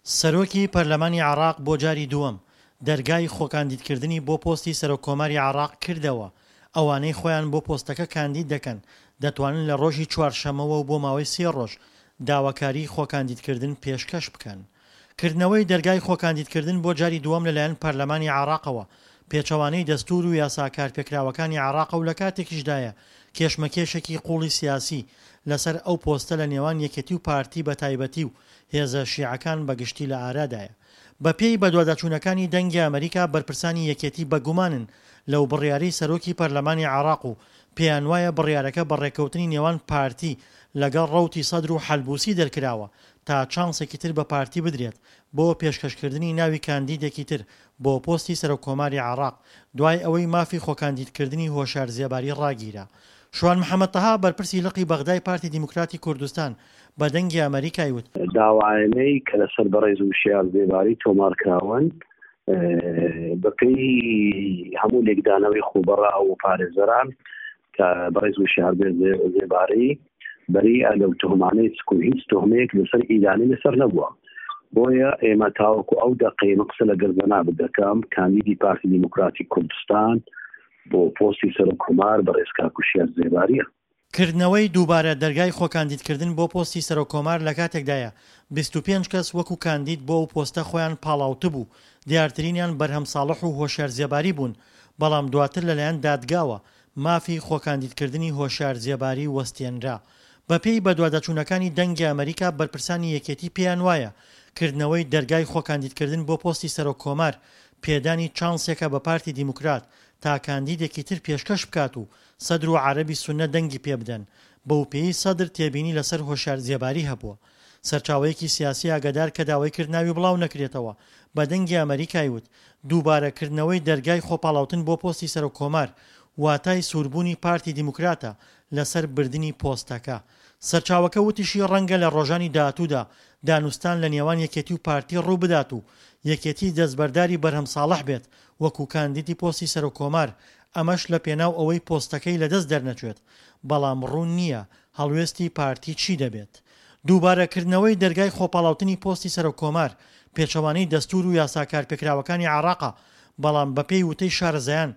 سەرۆکی پەرلەمانی عێراق بۆ جاری دووەم دەرگای خۆکاندیدکردنی بۆ پۆستی سەرۆککۆماری عێراق کردەوە، ئەوانەی خۆیان بۆ پۆستەکە کاندید دەکەن دەتوانن لە ڕۆژی چوارشەممەوە و بۆ ماوەی سێ ڕۆژ داواکاریی خۆکاندیدکردن پێشکەش بکەن. کردنەوەی دەرگای خۆکاندیدکردن بۆ جاری دووەم لەلایەن پەرلەمانی عێراقەوە پێچەوانەی دەستوور و یاسا کارپێکراوەکانی عێراقە و لەکاتێکیشدایە کێشمەکێشێکی قووڵی سیاسی لەسەر ئەو پۆستە لە نێوان یەکێتی و پارتی بەتایبەتی و هێزە شیعەکان بەگشتی لە ئارادایە. بەپێی بەدواداچوونەکانی دەنگی ئەمەریکا بەرپرسانی یەکێتی بەگومانن لەو بڕیارەی سەرۆکی پەرلەمانی عێراق و پێیانوایە بڕیارەکە بە ڕێککەوتنی نێوان پارتی لەگەڵ ڕەوتی سەدر و حەلبوسی دەرکراوە تا چانسێکی تر بە پارتی بدرێت بۆ پێشکەشکردنی ناوی کاندیدێکی تر بۆ پۆستی سەرۆککۆماری عێراق دوای ئەوەی مافی خۆکاندیدکردنی هۆشیار زێباری ڕاگیرا. شوان محەمەد تەها بەرپرسی لقی بەغدای پارتی دیموکراتی کوردستان بە دەنگی ئەمەریکای وت، داوایانەی کە لەسەر بەڕێز وشیار زێباری تۆمار کراون بەپێی هەموو لێکدانەوەی خۆبەڕا و پارێزەران کە بەڕێز وشیار زێباری بەریئە لەو تهمانەی سکو هیچ تهمەیەک لەسەر ئیدانەی لەسەر نەبووە بۆیە ئێمە تاوەکو ئەو دەقەی من قسە لەگەڵ جەنابت دەکەم کاندیدی پارتی دیموکراتی کوردستان بۆ پۆستی سەرۆک کۆمار بەڕێز کاک وشیار زێباریە. کردنەوەی دووبارە دەرگای خۆکاندیدکردن بۆ پۆستی سەرۆک کۆمار لەکاتێکدایە 25 کەس وەکو کاندید بۆ ئەو پۆستە خۆیان پاڵاوتبوو، دیارترینیان بەرهەم ساڵح و هۆشیار زێباری بوون، بەڵام دواتر لەلایەن دادگاوە مافی خۆکاندیدکردنی هۆشیار زێباری وەستێنرا. بەپێی بەدواداچوونەکانی دەنگی ئەمەریکا بەرپرسانی یەکێتی پێیان وایە کردنەوەی دەرگای خۆکاندیدکردن بۆ پۆستی سەرۆک کۆمار پێدانی چانسێکە بە پارتی دیموکرات تا کاندیدێکی تر پێشکەش بکات و سەدر و عەرەبی سوننە دەنگی پێبدەن، بەوپێیەی سەدر تێبینی لەسەر هۆشیار زێباری هەبووە. سەرچاوەیەکی سیاسی ئاگادار کە داوای کرد ناوی بڵاو نەکرێتەوە، بە دەنگی ئەمەریکای وت، دووبارە کردنەوەی دەرگای خۆپاڵاوتن بۆ پۆستی سەرۆک کۆمار، واتای سووربوونی پارتی دیموکراتە لەسەر بردنی پۆستەکە. سەرچاوەکە وتیشی ڕەنگە لە ڕۆژانی داهاتوودا دانوستان لە نێوان یەکێتی و پارتی ڕووبدات و یەکێتی دەستبەرداری بەرهەم ساڵح بێت وەکو کاندیدی پۆستی سەرۆک کۆمار، ئەمەش لە پێناو ئەوەی پۆستەکەی لەدەست دەرنەچێت، بەڵام ڕوون نییە هەڵوێستی پارتی چی دەبێت. دووبارە کردنەوەی دەرگای خۆپاڵاوتنی پۆستی سەرۆک کۆمار پێچەوانەی دەستوور و یاسا کارپێکراوەکانی عێراقە، بەڵام بەپێی وتەی شارەزایان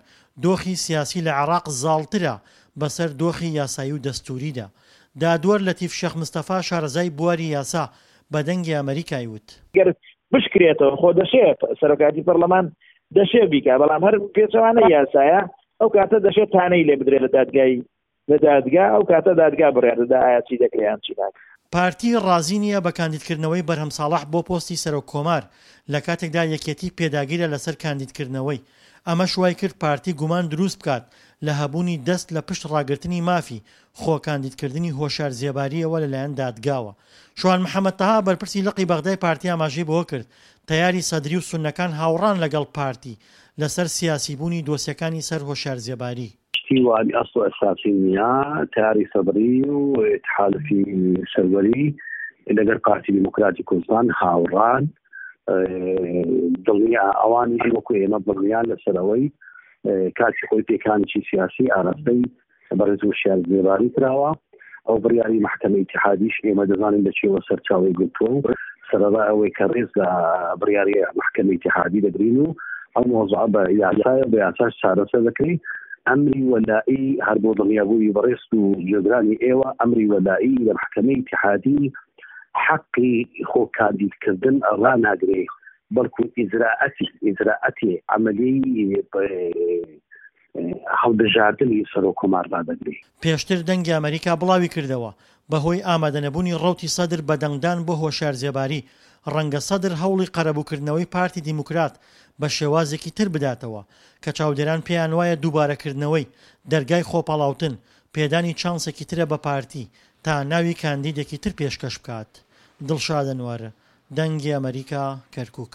دۆخی سیاسی لە عێراق زاڵترە بەسەر دۆخی یاسایی و دەستووریدا. دادوەر لەتیف شێخ مستەفا شارەزای بواری یاسا بە دەنگی ئەمەریکای وت. گەر بشکرێتەوە خۆ دەشێ سەرۆکایەتی پەرلەمان دەشێ بیکا، بەڵام هەر پێچەوانەی یاسایە ئەو کاتە دەشێ تانەی لێ بدرێت لە دادگای لە دادگا، ئەو کاتە دادگا بڕیار دەدا ئایا چی دەکرێ یان چی ناکرێ. پارتی ڕازی نییە بە کاندیدکردنەوەی بەرهەم ساڵح بۆ پۆستی سەرۆک کۆمار، لە کاتێکدا یەکێتی پێداگیرە لەسەر کاندیدکردنەوەی، ئەمەش وایکرد پارتی گومان دروست بکات لە هەبوونی دەست لە پشت ڕاگرتنی مافی خۆ کاندیدکردنی هۆشیار زێبارییەوە لەلایەن دادگاوە. شوان محەمەد تەها بەرپرسی لقی بەغدای پارتی ئاماژەی بەوەکرد، تەیاری سەدری و سوننەکان هاوڕان لەگەڵ پارتی لەسەر سیاسیبوونی دۆسیەکانی سەر هۆشیار زێباری. شتی وابی ئەسڵ و ئەساسی نییە، تەیاری سەدری و تحالفی سەروەری لەگەر پارتی دیموکراتی کوردستان هاوڕان، دڵنیا ئەوانیش وەکو ئێمە دڵنیان لەسەر ئەوەی کاتی خۆی پێکانێکی سیاسی ئاراستەی بەڕێز وشیار زێباری کراوە. ئەو بڕیاری مەحکەمەی ئیتیحادیش ئێمە دەزانین لە چیەوە سەرچاوەی گرتووە و سەرەڕای ئەوەی کە ڕێز لە بڕیاری مەحکەمەی ئیتیحادی دەگرین و ئەو مەوزوعە بە یاسایە و بە یاساش چارەسەر دەکرێ. ئەمری وەلائی هەر بۆ دڵنیابوونی بەڕێز و گوێگرانی ئێوە ئەمری وەلائی لە مەحکەمەی ئیتیحادی حەقی خۆ کاندیدکردن ڕاناگرێ بەڵکو ئیجرائەتی ئیجرائەتی عەمەلی هەڵبژاردنی سەرۆک کۆمار ڕادەگرێ. پێشتر دەنگی ئەمەریکا بڵاویکردەوە، بەهۆی ئامادەنەبوونی ڕەوتی سەدر بە دەنگدان بۆ هۆشیار زێباری، ڕەنگە سەدر هەوڵی قەرەبووکردنەوەی پارتی دیموکرات بە شێوازێکی تر بداتەوە، کە چاودێران پێیانوایە دووبارەکردنەوەی دەرگای خۆپاڵاوتن، پێدانی چانسێکی ترە بە پارتی تا ناوی کاندیدێکی تر پێشکەش بکات. دڵشاد ئەنوەر، دەنگی ئەمەریکا، کەرکوک.